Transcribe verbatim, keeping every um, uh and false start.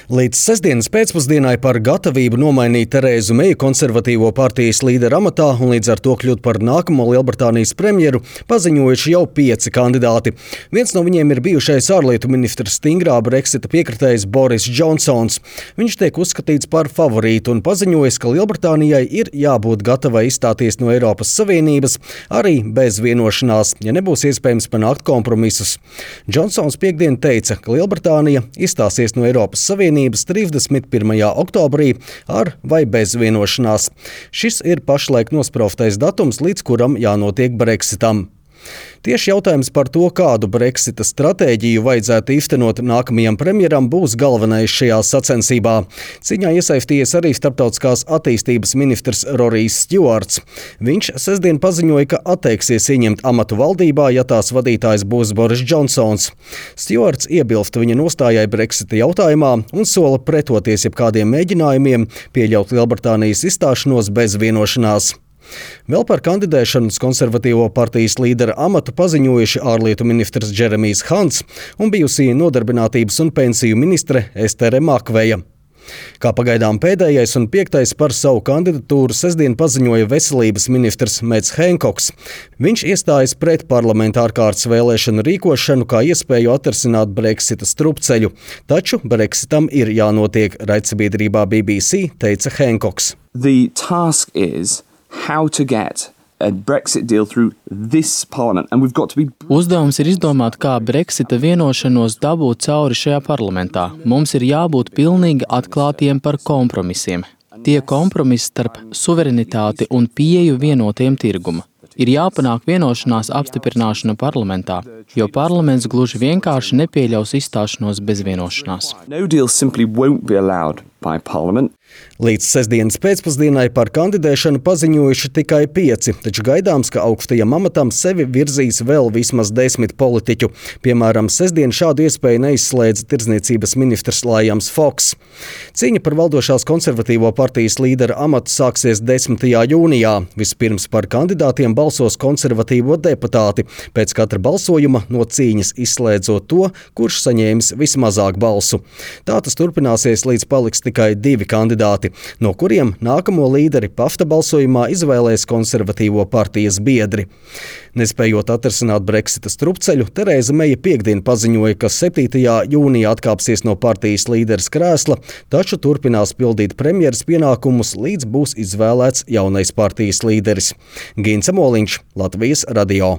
Līdz sestdienas pēcpusdienai par gatavību nomainīt Terēzu Meju konservatīvo partijas līderu amatā un līdz ar to kļūt par nākamo Lielbritānijas premjeru paziņojuši jau pieci kandidāti. Viens no viņiem ir bijušais ārlietu ministrs stingrā Brexita piekritējs Boris Džonsons. Viņš tiek uzskatīts par favorītu un paziņojis, ka Lielbritānijai ir jābūt gatavai izstāties no Eiropas Savienības arī bez vienošanās, ja nebūs iespējams panākt kompromisus. Džonsons piekdien teica, ka Lielbritānija izstāsies no Eiropas Savienības trīsdesmit pirmajā oktobrī ar vai bez vienošanās. Šis ir pašlaik nospraustais datums, līdz kuram jānotiek Brexitam. Tieši jautājums par to, kādu Brexita stratēģiju vajadzētu īstenot nākamajam premjeram, būs galvenais šajā sacensībā. Cīņā iesaistījies arī starptautiskās attīstības ministrs Rorijs Stjuarts. Viņš sestdien paziņoja, ka atteiksies ieņemt amatu valdībā, ja tās vadītājs būs Boris Džonsons. Stjuarts iebilst viņa nostājai Brexita jautājumā un sola pretoties jebkādiem mēģinājumiem pieļaut Lielbritānijas izstāšanos bez vienošanās. Vēl par kandidēšanu uz konservatīvo partijas līdera amatu paziņojuši ārlietu ministrs Džeremijs Hants un bijusī nodarbinātības un pensiju ministre Estere Makveja. Kā pagaidām pēdējais un piektais par savu kandidatūru sestdien paziņoja veselības ministrs Mets Henkoks. Viņš iestājas pret parlamenta ārkārtas vēlēšanu rīkošanu kā iespēju atrisināt Brexita strupceļu, taču Brexitam ir jānotiek, raidsabiedrībā B B C teica Henkoks. The task is how to get a Brexit deal through this parliament, and we've got to be... Uzdevums ir izdomāt, kā Brexita vienošanos dabūt cauri šajā parlamentā. Mums ir jābūt pilnīgi atklātiem par kompromisiem. Tie kompromisi starp suverenitāti un pieeju vienotiem tirguma. Ir jāpanāk vienošanās apstiprināšana parlamentā, jo parlaments gluži vienkārši nepieļaus izstāšanos bez vienošanās. No deal simply won't be allowed by parliament. Līdz sestdienas pēcpusdienai par kandidēšanu paziņojuši tikai pieci, taču gaidāms, ka augstajam amatam sevi virzīs vēl vismaz desmit politiķu. Piemēram, sestdien šādu iespēju neizslēdza tirdzniecības ministrs Liams Foks. Cīņa par valdošās konservatīvo partijas līdera amatu sāksies desmitajā jūnijā. Vispirms par kandidātiem balsos konservatīvo deputāti, pēc katra balsojuma no cīņas izslēdzot to, kurš saņēmis vismazāk balsu. Tā tas turpināsies, līdz paliks tikai divi kandidāti, no kuriem nākamo līderi pafta balsojumā izvēlēs konservatīvo partijas biedri. Nespējot atrisināt Brexita strupceļu, Terēza Meja piekdien paziņoja, ka septītajā jūnijā atkāpsies no partijas līderes krēsla, taču turpinās pildīt premjeras pienākumus, līdz būs izvēlēts jaunais partijas līderis. Gints Moliņš, Latvijas radio.